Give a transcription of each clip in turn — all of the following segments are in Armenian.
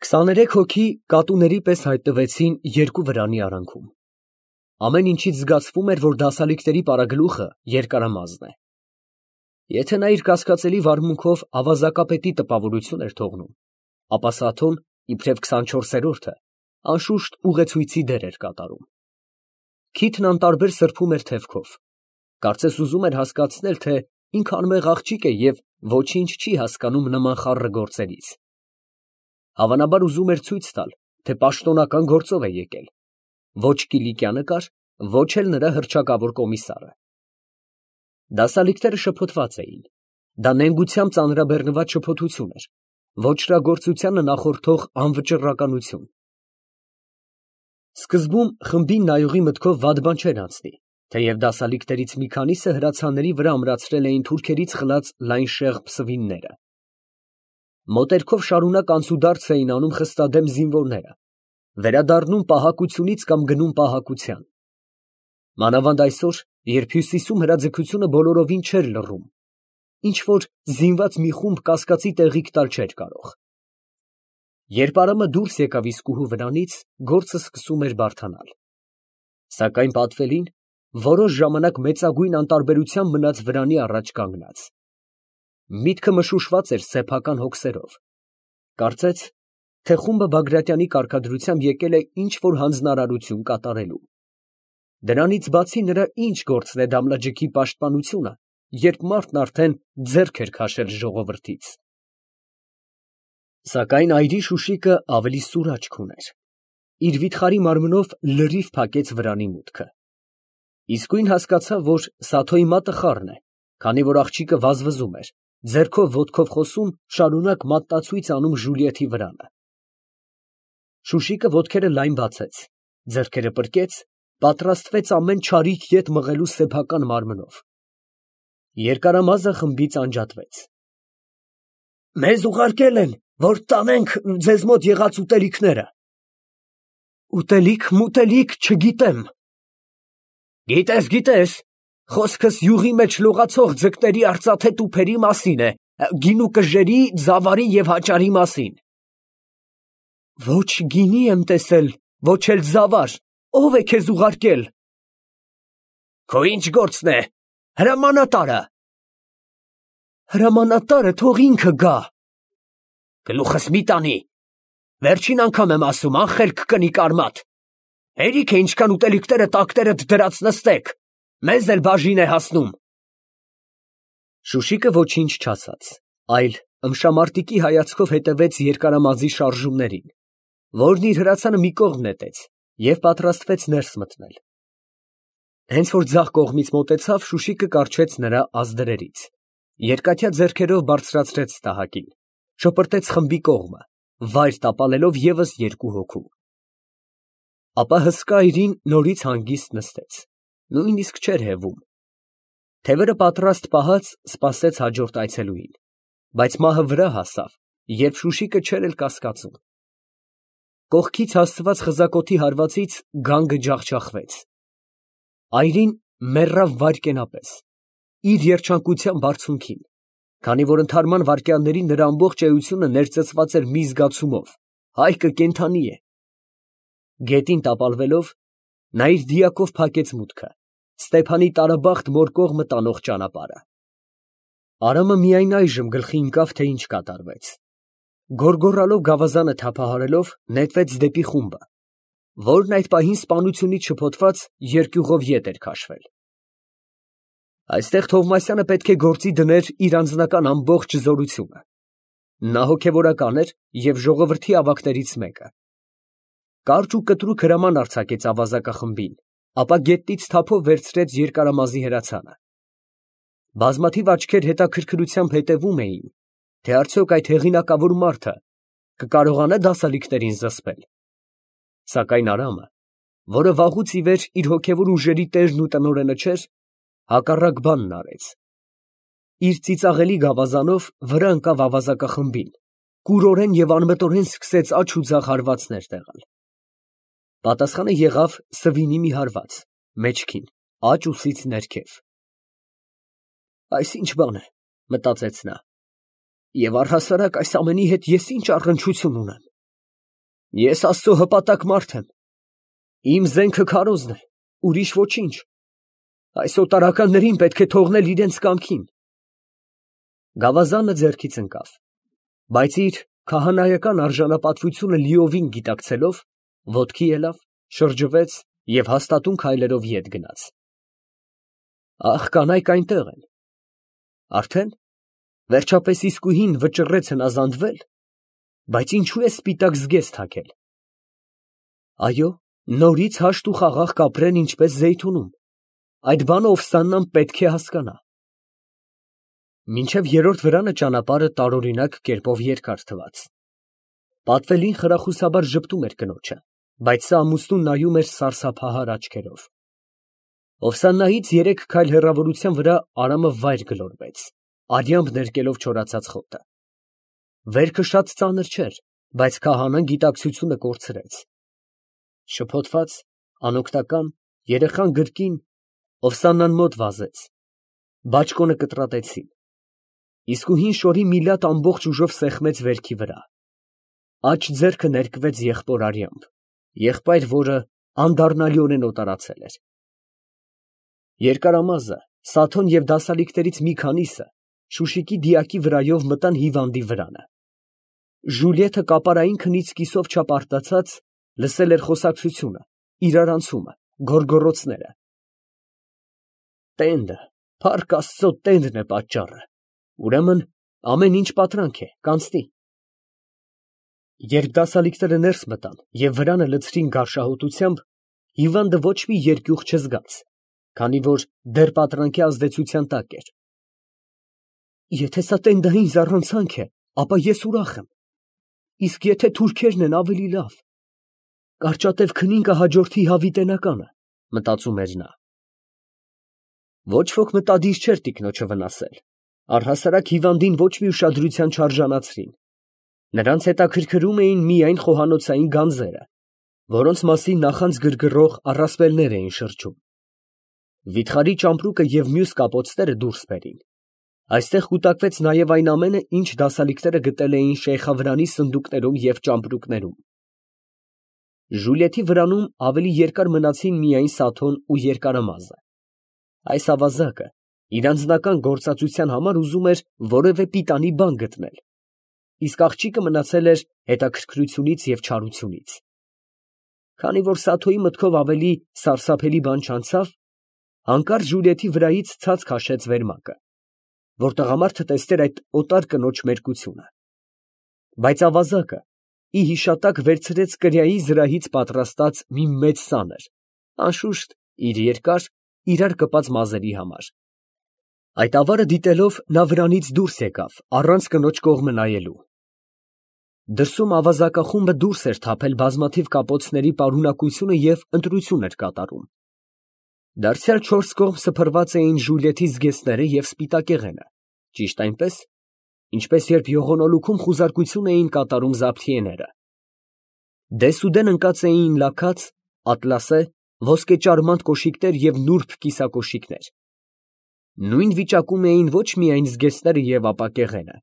23 հոգի կատուների պես հայտնվեցին երկու վրանի արանքում։ Ամեն ինչից զգացվում էր, որ դասալիկների պարագլուխը երկարամազն է։ Եթե նա իր կասկածելի վարմունքով ավազակապետի տպավորություն էր թողնում, ապա Սաթոն, իբրև 24-րդը, անշուշտ ուղեցույցի դեր էր կատարում։ Քիթն անտարբեր սրբում էր թևքով, կարծես ուզում էր հասկացնել, թե ինքը անմեղ աղջիկ է և ոչինչ չի հասկանում նման խառը գործերից։ Հավանաբար ուզում էր ցույց տալ, թե պաշտոնական գործով է եկել, ոչ Կիլիկյանը կար, ոչ էլ նրա հռչակավոր կոմիսարը։ Դասալիկները շփոթված էին, դա նենգությամբ ծանրաբեռնված շփոթություն էր, ոճրագործությանը նախորդող անվճռականություն։ Սկզբում խմբին նայողի մտքով վատ բան չէր անցնի, թեև դասալիկներից մի քանիսը հրացանների վրա ամրացրել էին թուրքերից խլած լայն շեղբ սվինները։ Մոտերքով շարունակ անցուդարձ էին անում խստադեմ զինվորները, վերադառնում պահակությունից կամ գնում պահակության։ Մանավանդ այսօր, երբ Հյուսիսում հրաձգությունը բոլորովին չէր լռում, ինչ֊որ զինված մի խումբ կասկածի տեղիք տալ չէր կարող։ Երբ Արամը դուրս եկավ իսկուհու վրանից, գործը սկսում էր բարդանալ։ Սակայն պատվելին որոշ ժամանակ մեծագույն անտարբերությամբ մնաց վրանի առաջ կանգնած։ Միտքը մշուշված էր սեփական հոգսերով։ Կարծեց, թե խումբը Բագրատյանի կարգադրությամբ եկել է ինչ-որ հանձնարարություն կատարելու։ Դրանից բացի նրա ինչ գործն է Դամլաջիքի պաշտպանությունը, երբ մարդն արդեն ձեռք էր քաշել ժողովրդից։ Սակայն այրի Շուշիկը ավելի սուր աչք ուներ։ Իր վիթխարի մարմնով լրիվ փակեց վրանի մուտքը։ Իսկույն հասկացավ, որ Սաթոյի մատը խառն է, քանի որ աղջիկը վազվզում էր, ձեռքով ոտքով խոսում, շարունակ մատնացույց անում Ժուլիեթի վրանը։ Շուշիկը ոտքերը լայն բացեց, ձեռքերը պրկեց, պատրաստվեց ամեն չարիք ետ մղելու սեփական մարմնով։ Երկարամազը խմբից անջատվեց։ Մեզ ուղարկել են, որ տանենք ձեզ մոտ եղած ուտելիքները։ Ուտելիք, չգիտեմ։ Գիտես, խոսքս յուղի մեջ լողացող ձկների արծաթե տուփերի մասին է, գինու կժերի, ձավարի և հաճարի մասին։ Ոչ գինի եմ տեսել, ոչ էլ ձավար, ո՞վ է քեզ ուղարկել։ Քո ինչ գործն է, հրամանատարը։ Հրամանատարը թող ինքը գա։ Գլուխս մի տանի, վերջին անգամ եմ ասում, անխելք կնիկ արմատ։ Հերիք է ինչքան ուտելիքները տակներդ դրած նստեք, մեզ էլ բաժին է հասնում։ Շուշիկը ոչինչ չասաց, այլ ըմշամարտիկի հայացքով հետևեց երկարամազի շարժումներին, որն իր հրացանը մի կողմ նետեց և պատրաստվեց ներս մտնել։ Հենց որ ձախ կողմից մոտեցավ, Շուշիկը կառչեց նրա ազդրերից, երկաթյա ձեռքերով բարձրացրեց տահակին, շպրտեց խմբի կողմը, վայր տապալելով ևս երկու հոգու։ Ապա հսկա այրին նորից հանգիստ նստեց, նույնիսկ չէր հևում։ Թևերը պատրաստ պահած սպասեց հաջորդ այցելուին, բայց մահը վրա հասավ, երբ Շուշիկը չէր էլ կասկածում։ Կողքից հասցված խզակոթի հարվածից գանգը ջախջախվեց։ Այրին մեռավ վայրկենապես, իր երջանկության բարձունքին, քանի որ ընդհարման վայրկյաններին նրա ամբողջ էությունը ներծծված էր մի զգացումով. հայկը կենդանի է։ Գետին տապալվելով, նա իր դիակով փակեց մուտքը, Ստեփանի տարաբախտ մոր կողմը տանող ճանապարհը։ Արամը միայն այժմ գլխի ընկավ, թե ինչ կատարվեց։ Գոռգոռալով գավազանը թափահարելով, նետվեց դեպի խումբը, որն այդ պահին սպանությունից շփոթված երկյուղով ետ էր քաշվել։ Այստեղ Թովմասյանը պետք է գործի դներ իր անձնական ամբողջ զորությունը։ Նա հոգևորական էր և ժողովրդի ավագներից մեկը։ Կարճ ու կտրուկ հրաման արձակեց ավազակախմբին, ապա գետնից թափով վերցրեց երկարամազի հրացանը։ Բազմաթիվ աչքեր հետաքրքրությամբ հետևում էին, թե արդյոք այդ հեղինակավոր մարդը կկարողանա դասալիկներին զսպել։ Սակայն Արամը, որը վաղուց ի վեր իր հոգևոր ուժերի տերն ու տնօրենը չէր, հակառակ բանն արեց։ Իր ծիծաղելի գավազանով վրա ընկավ ավազակախմբին, կուրորեն և անմտորեն սկսեց աջ ու ձախ հարվածներ տեղալ։ Պատասխանը եղավ սվինի մի հարված, մեջքին, աջ ուսից ներքև։ Այս ինչ բան է, մտածեց նա, և առհասարակ այս ամենի հետ ես ինչ առնչություն ունեմ։ Ես Աստծո հպատակ մարդ եմ։ Իմ զենքը քարոզն է, ուրիշ ոչինչ։ Այս օտարականներին պետք է թողնել իրենց կամքին։ Գավազանը ձեռքից ընկավ, բայց իր քահանայական արժանապատվությունը լիովին գիտակցելով, ոտքի ելավ, շրջվեց և հաստատուն քայլերով ետ գնաց։ Ահ, կանայք այնտեղ են։ Արդեն վերջապես իսկույն վճռեց հնազանդվել, բայց ինչու է սպիտակ զգեստ թաքել։ Այո, նորից հաշտ ու խաղաղ կապրեն ինչպես Զեյթունում, այդ բանը Օֆսաննան պետք է հասկանա։ Մինչև երրորդ վրանը ճանապարհը տարօրինակ կերպով երկար թվաց։ Պատվելին խրախուսաբար ժպտում էր կնոջը, բայց սա ամուսնուն նայում էր սարսափահար աչքերով։ Օֆսաննայից 3 քայլ հեռավորության վրա Արամը վայր գլորվեց, արյամբ ներկելով չորացած խոտը։ Վերքը շատ ծանր չէր, բայց քահանան գիտակցությունը կորցրեց։ Շփոթված, անօգնական, երեխան գրկին Օֆսաննան մոտ վազեց։ Բաճկոնը կտրատեցին։ Իսկույն շորի մի լատ ամբողջ ուժով սեղմեց վերքի վրա։ Աջ ձեռքը ներկվեց եղբոր արյամբ, եղբայր, որը անդառնալիորեն օտարացել էր։ Երկարամազը, Սաթոն և դասալիկներից մի քանիսը Շուշիկի դիակի վրայով մտան հիվանդի վրանը։ Ժուլիեթը կապարային քնից կիսով չափ արտացած լսել էր խոսակցությունը, իրարանցումը, գոռգոռոցները։ Տենդը, փառք Աստծո, տենդն է պատճառը։ Ուրեմն ամեն ինչ պատրանք է, կանցնի։ Երբ դասալիկները ներս մտան և վրանը լցրին գարշահոտությամբ, հիվանդը ոչ մի երկյուղ չզգաց, քանի որ դեռ պատրանքի ազդեցության տակ էր։ Եթե սա տենդային զառանցանք է, ապա ես ուրախ եմ։ Իսկ եթե թուրքերն են, ավելի լավ։ Կարճատև քնին կհաջորդի հավիտենականը, մտածում էր նա։ Ոչ ոք մտադիր չէր տիկնոջը վնասել, առհասարակ հիվանդին ոչ մի ուշադրության չարժանացրին։ Նրանց հետաքրքրում էին միայն խոհանոցային գանձերը, որոնց մասին նախանց գրգռող առասպելներ էին շրջում։ Վիթխարի ճամպրուկը և մյուս կապոցները դուրս բերին։ Այստեղ կուտակվեց նաև այն ամենը, ինչ դասալիկները գտել էին շեյխավրանի սնդուկներում և ճամպրուկներում։ Ժուլիեթի վրանում ավելի երկար մնացին միայն Սաթոն ու երկարամազը։ Այս ավազակը իր անձնական գործածության համար ուզում էր որևէ պիտանի բան գտնել, իսկ աղջիկը մնացել էր հետաքրքրությունից և չարությունից։ Քանի որ Սաթոյի մտքով ավելի սարսափելի բան չանցավ, հանկարծ Ժուլիեթի վրայից ցած քաշեց վերմակը, որ տղամարդը տեսներ այդ օտար կնոջ մերկությունը։ Բայց ավազակը ի հիշատակ վերցրեց կրիայի զրահից պատրաստած մի մեծ սանր, անշուշտ իր երկար, իրար կպած մազերի համար։ Այդ ավարը դիտելով նա վրանից դուրս եկավ, առանց կնոջ կողմը նայելու։ Դրսում ավազակախումբը դուրս էր թափել բազմաթիվ կապոցների պարունակությունը և ընտրություն էր կատարում։ Դարձյալ 4 կողմ սփռված էին Ժուլիեթի զգեստները և սպիտակեղենը, ճիշտ այնպես, ինչպես երբ յողոնոլուքում խուզարկություն էին կատարում զաբթիեները։ Դեսուդեն ընկած էին լաքած, ատլասե, ոսկեճարմանտ կոշիկներ և նուրբ կիսակոշիկներ։ Նույն վիճակում էին ոչ միայն զգեստները և ապակեղենը,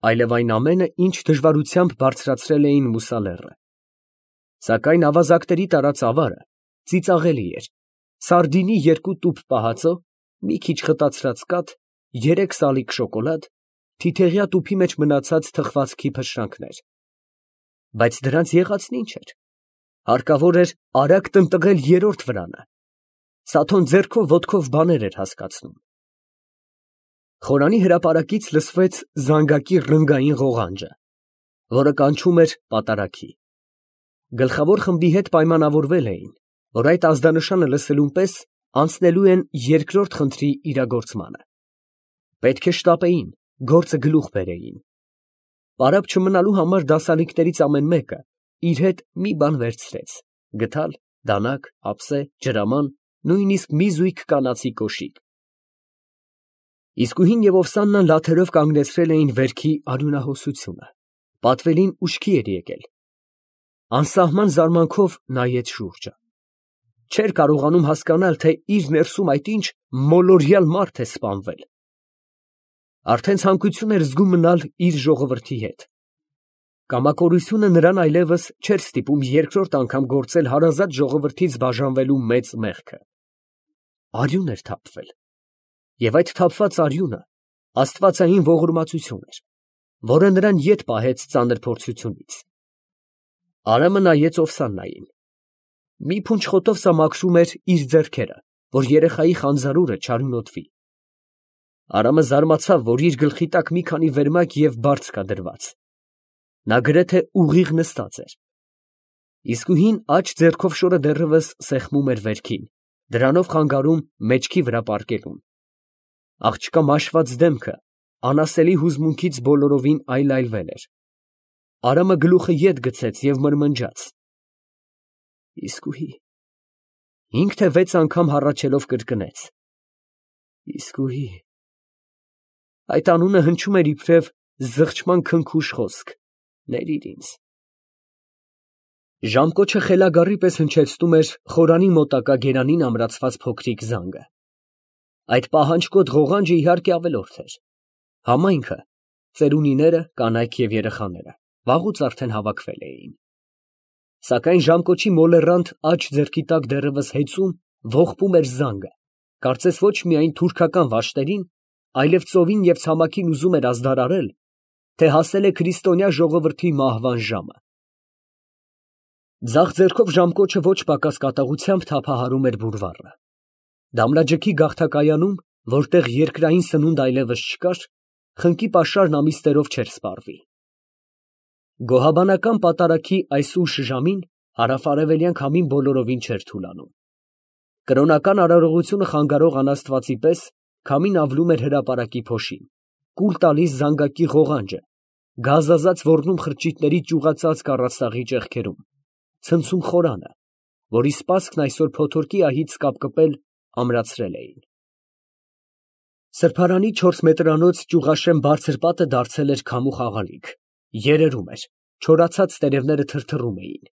այլև այն ամենը, ինչ դժվարությամբ բարձրացրել էին մուսալեռը։ Սակայն ավազակների տարած ավարը ծիծաղելի էր, սարդինի 2 տուփ պահածո, մի քիչ խտացրած կաթ, 3 սալիկ շոկոլադ, թիթեղյա տուփի մեջ մնացած թխվածքի փշրանքներ։ Բայց դրանց եղածն ինչ էր։ Հարկավոր էր արագ տնտղել երրորդ վրանը։ Սաթոն ձեռքով ոտքով բաներ էր հասկացնում։ Խորանի հրապարակից լսվեց զանգակի ռնգային ղողանջը, որը կանչում էր պատարագի։ Գլխավոր խմբի հետ պայմանավորվել էին, որ այդ ազդանշանը լսելուն պես անցնելու են երկրորդ խնդրի իրագործմանը։ Պետք է շտապեին, գործը գլուխ բերեին։ Պարապ չմնալու համար դասալիկներից ամեն մեկը իր հետ մի բան վերցրեց՝ գդալ, դանակ, ափսե, ջրաման, նույնիսկ մի զույգ կանացի կոշիկ։ Իսկույն և Օվսաննան լաթերով կանգնեցրել էին վերքի արյունահոսությունը։ Պատվելին ուշքի էր եկել։ Անսահման զարմանքով նայեց շուրջը։ Չէր կարողանում հասկանալ, թե իր ներսում այդ ինչ մոլորյալ մարդ է սպանվել։ Արդեն ցանկություն էր զգում մնալ իր ժողովրդի հետ։ Կամակորությունը նրան այլևս չէր ստիպում երկրորդ անգամ գործել հարազատ ժողովրդից բաժանվելու մեծ մեղքը։ Արյուն էր թափվել, և այդ թափված արյունը աստվածային ողորմածություն էր, որը նրան ետ պահեց ծանր փորձությունից։ Արամը նայեց Օվսաննային։ Մի փունջ խոտով սամաքրում էր իր ձեռքերը, որ երեխայի խանձարուրը չարյունոտվի։ Արամը զարմացավ, որ իր գլխի տակ մի քանի վերմակ և բարձ կա դրված։ Նա գրեթե ուղիղ նստած էր։ Իսկույն աջ ձեռքով շորը դեռևս սեղմում էր վերքին, դրանով խանգարում մեջքի վրա պառկելուն։ Աղջկա մաշված դեմքը անասելի հուզմունքից բոլորովին այլայլվել էր։ Արամը գլուխը ետ գցեց և մրմնջաց. Իսկույն։ 5 թե 6 անգամ հառաչելով կրկնեց. Իսկույն։ Այդ անունը հնչում էր իբրև զղջման քնքուշ խոսք. ներիր ինձ։ Ժամկոչը խելագարի պես հնչեցնում էր խորանի մոտակա գերանին ամրացված փոքրիկ զանգը։ Այդ պահանջկոտ ղողանջը իհարկե ավելորդ էր։ Համայնքը, ծերունիները, կանայք և երեխաները վաղուց արդեն հավաքվել էին։ Սակայն ժամկոչի մոլեռանդ աջ ձեռքի տակ դեռևս հեծում, ողբում էր զանգը, կարծես ոչ միայն թուրքական վաշտերին, այլև ծովին և ցամաքին ուզում էր ազդարարել, թե հասել է քրիստոնյա ժողովրդի մահվան ժամը։ Ձախ ձեռքով ժամկոչը ոչ պակաս կատաղությամբ թափահարում էր բուրվառը։ Դամլաջքի գաղթակայանում, որտեղ երկրային սնունդ այլևս չկար, խնկի պաշարն ամիսներով չէր սպառվի։ Գոհաբանական պատարագի այս ուշ ժամին հարավ֊արևելյան քամին բոլորովին չէր թուլանում։ Կրոնական արարողությունը խանգարող անաստվածի պես քամին ավլում էր հրապարակի փոշին, կուլ տալիս զանգակի ղողանջը, գազազած ոռնում խրճիթների ճյուղածածկ առաստաղի ճեղքերում, ցնցում խորանը, որի սպասքն այսօր փոթորկի ահից կապկպել ամրացրել էին։ Սրբարանի 4 մետրանոց ճյուղաշեմ բարձր պատը դարձել էր քամու խաղալիք, երերում էր, չորացած տերևները թրթռում էին։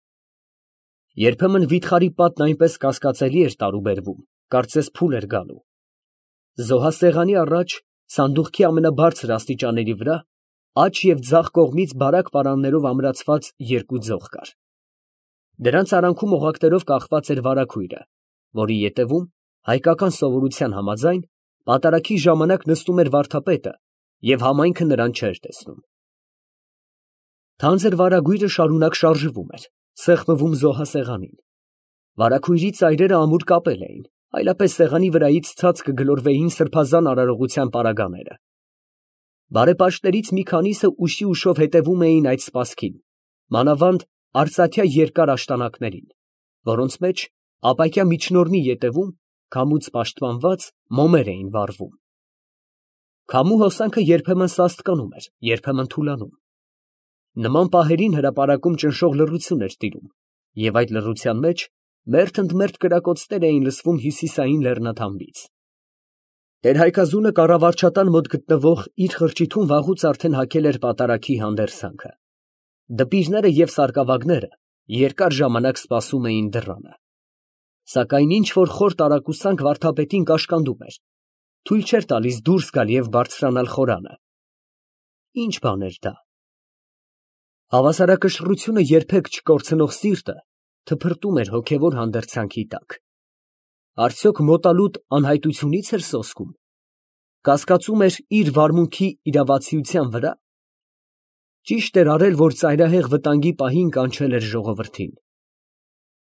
Երբեմն վիթխարի պատն այնպես կասկածելի էր տարուբերվում, կարծես փուլ էր գալու։ Զոհասեղանի առաջ, սանդուղքի ամենաբարձր աստիճանների վրա, աջ և ձախ կողմից բարակ պարաններով ամրացված 2 ձող կար։ Դրանց արանքում օղակներով կախված էր վարագույրը, որի ետևում, հայկական սովորության համաձայն, պատարագի ժամանակ նստում էր վարդապետը և համայնքը նրան չէր տեսնում։ Թանձր վարագույրը շարունակ շարժվում էր, սեղմվում զոհասեղանին։ Վարագույրի ծայրերը ամուր կապել էին, այլապես սեղանի վրայից ցած կգլորվեին սրբազան արարողության պարագաները։ Բարեպաշտներից մի քանիսը ուշի ուշով հետևում էին այդ սպասքին, մանավանդ արծաթյա երկար աշտանակներին, որոնց մեջ ապակյա միջնորմի ետևում, քամուց պաշտպանված, մոմեր էին վառվում։ Քամու հոսանքը երբեմն սաստկանում էր, երբեմն թուլանում։ Նման պահերին հրապարակում ճնշող լռություն էր տիրում, և այդ լռության մեջ մերթ ընդ մերթ կրակոցներ էին լսվում հյուսիսային լեռնաթամբից։ Տեր֊Հայկազունը կառավարչատան մոտ գտնվող իր խրճիթում վաղուց արդեն հագել էր պատարագի հանդերձանքը։ Դպիրները և սարկավագները երկար ժամանակ սպասում էին դռանը։ Սակայն ինչ֊որ խոր տարակուսանք վարդապետին կաշկանդում էր, թույլ չէր տալիս դուրս գալ և բարձրանալ խորանը։ Ի՞նչ բան էր դա։ Հավասարակշռությունը երբեք չկորցնող սիրտը թփրտում էր հոգևոր հանդերձանքի տակ։ Արդյոք մոտալուտ անհայտությունի՞ց էր սոսկում։ Կասկածում էր իր վարմունքի իրավացիության վրա։ Ճիշտ էր արել, որ ծայրահեղ վտանգի պահին կանչել էր ժողովրդին։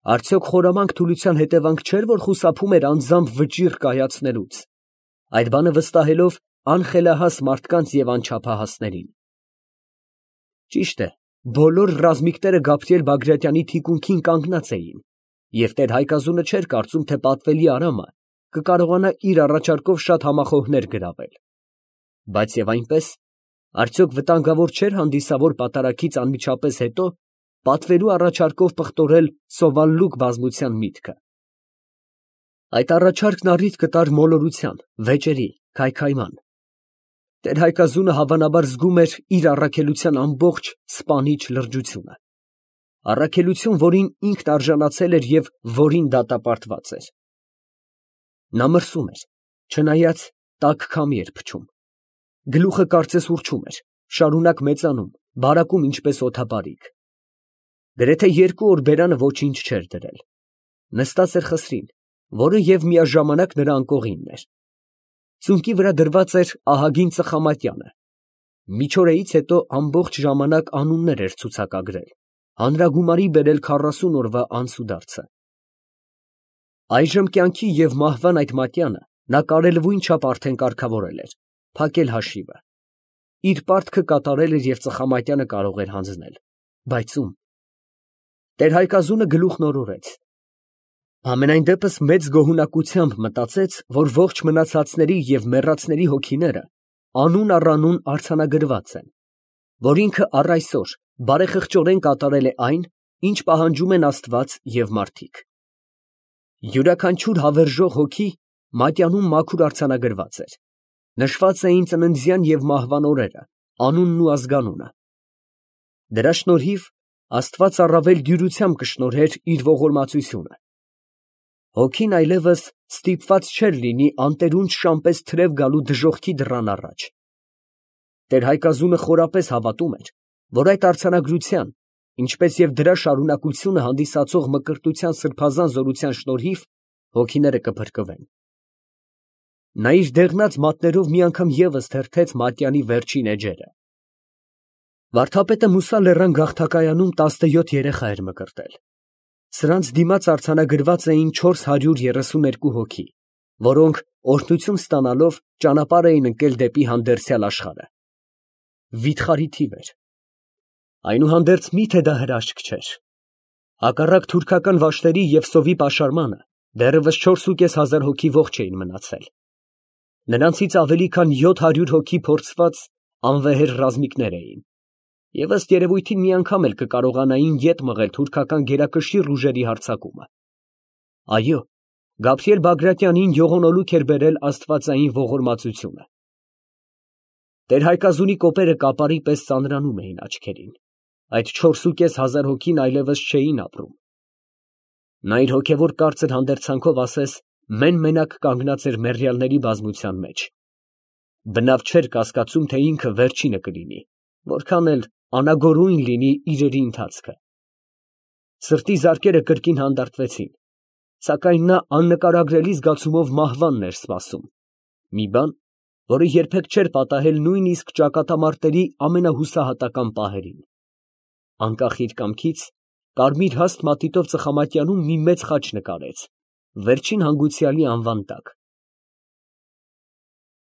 Արդյոք խորամանկ թուլության հետևանք չէր, որ խուսափում էր անձամբ վճիռ կայացնելուց, այդ բանը վստահելով անխելահաս մարդկանց և անչափահասներին։ Ճիշտ է, բոլոր ռազմիկները Գաբրիել Բագրատյանի թիկունքին կանգնած էին, և տեր֊Հայկազունը չէր կարծում, թե պատվելի Արամը կկարողանա իր առաջարկով շատ համախոհներ գրավել։ Բայց և այնպես, արդյոք վտանգավոր չէր հանդիսավոր պատարագից անմիջապես հետո պատվելու առաջարկով պղտորել սովալլուկ բազմության միտքը։ Այդ առաջարկն առիթ կտար մոլորության, վեճերի, քայքայման։ Տեր֊Հայկազունը հավանաբար զգում էր իր առաքելության ամբողջ սպանիչ լրջությունը, առաքելություն, որին ինքն արժանացել էր և որին դատապարտված էր։ Նա մրսում էր, չնայած տաք քամի էր փչում։ Գլուխը կարծես ուռչում էր, շարունակ մեծանում, բարակում ինչպես օդապարիկ։ Գրեթե 2 օր բերանը ոչինչ չէր դրել։ Նստած էր խսրին, որը և միաժամանակ նրա անկողինն էր։ Ծունկի վրա դրված էր ահագին ծխամատյանը։ Միջօրեից հետո ամբողջ ժամանակ անուններ էր ցուցակագրել, հանրագումարի բերել 40 օրվա անցուդարձը։ Այժմ կյանքի և մահվան այդ մատյանը նա կարելվույն չափ արդեն կարգավորել էր, փակել հաշիվը։ Իր պարտքը կատարել էր և ծխամատյանը կարող էր հանձնել, բայց ում։ Տեր֊Հայկազունը գլուխն օրորեց։ Համենայն դեպս մեծ գոհունակությամբ մտածեց, որ ողջ մնացածների և մեռածների հոգիները անուն առ անուն արձանագրված են, որ ինքը առ այսօր բարեխղճորեն կատարել է այն, ինչ պահանջում են Աստված և մարդիկ։ Յուրաքանչյուր հավերժող հոգի մատյանում մաքուր արձանագրված էր, նշված էին ծննդյան և մահվան օրերը, անունն ու ազգանունը։ Դրա շնորհիվ Աստված առավել դյուրությամբ կշնորհեր իր ողորմածությունը։ Հոգին այլևս ստիպված չէր լինի անտերունջ շան պես թրև գալու դժոխքի դռան առաջ։ Տեր֊Հայկազունը խորապես հավատում էր, որ այդ արձանագրության, ինչպես և դրա շարունակությունը հանդիսացող մկրտության սրբազան զորության շնորհիվ հոգիները կփրկվեն։ Նա իր դեղնած մատներով մի անգամ ևս թերթեց մատյանի վերջին էջերը։ Վարդապետը Մուսա լեռան գաղթակայանում 17 երեխա էր մկրտել։ Սրանց դիմաց արձանագրված էին 432 հոգի, որոնք օրհնություն ստանալով ճանապարհ էին ընկել դեպի հանդերձյալ աշխարհը։ Վիթխարի թիվ էր։ Այնուհանդերձ միթե դա հրաշք չէր։ Հակառակ թուրքական վաշտերի և սովի պաշարմանը դեռևս 4,500 հոգի ողջ էին մնացել։ Նրանցից ավելի քան 700 հոգի փորձված անվեհեր ռազմիկներ էին, և ըստ երևույթին մի անգամ էլ կկարողանային ետ մղել թուրքական գերակշիռ ուժերի հարձակումը։ Այո, Գաբրիել Բագրատյանին յողոնոլուք էր բերել աստվածային ողորմածությունը։ Տեր֊Հայկազունի կոպերը կապարի պես ծանրանում էին աչքերին, այդ 4,500 հոգին այլևս չէին ապրում։ Նա իր հոգևոր կարծր հանդերձանքով ասես մեն֊մենակ կանգնած էր մեռյալների բազմության մեջ։ Բնավ չէր կասկածում, թե ինքը վերջինը կլինի, որքան էլ անագորույն լինի իրերի ընթացքը։ Սրտի զարկերը կրկին հանդարտվեցին, սակայն նա աննկարագրելի զգացումով մահվանն էր սպասում, մի բան, որը երբեք չէր պատահել նույնիսկ ճակատամարտերի ամենահուսահատական պահերին։ Անկախ իր կամքից, կարմիր հաստ մատիտով ծխամատյանում մի մեծ խաչ նկարեց, վերջին հանգուցյալի անվան տակ։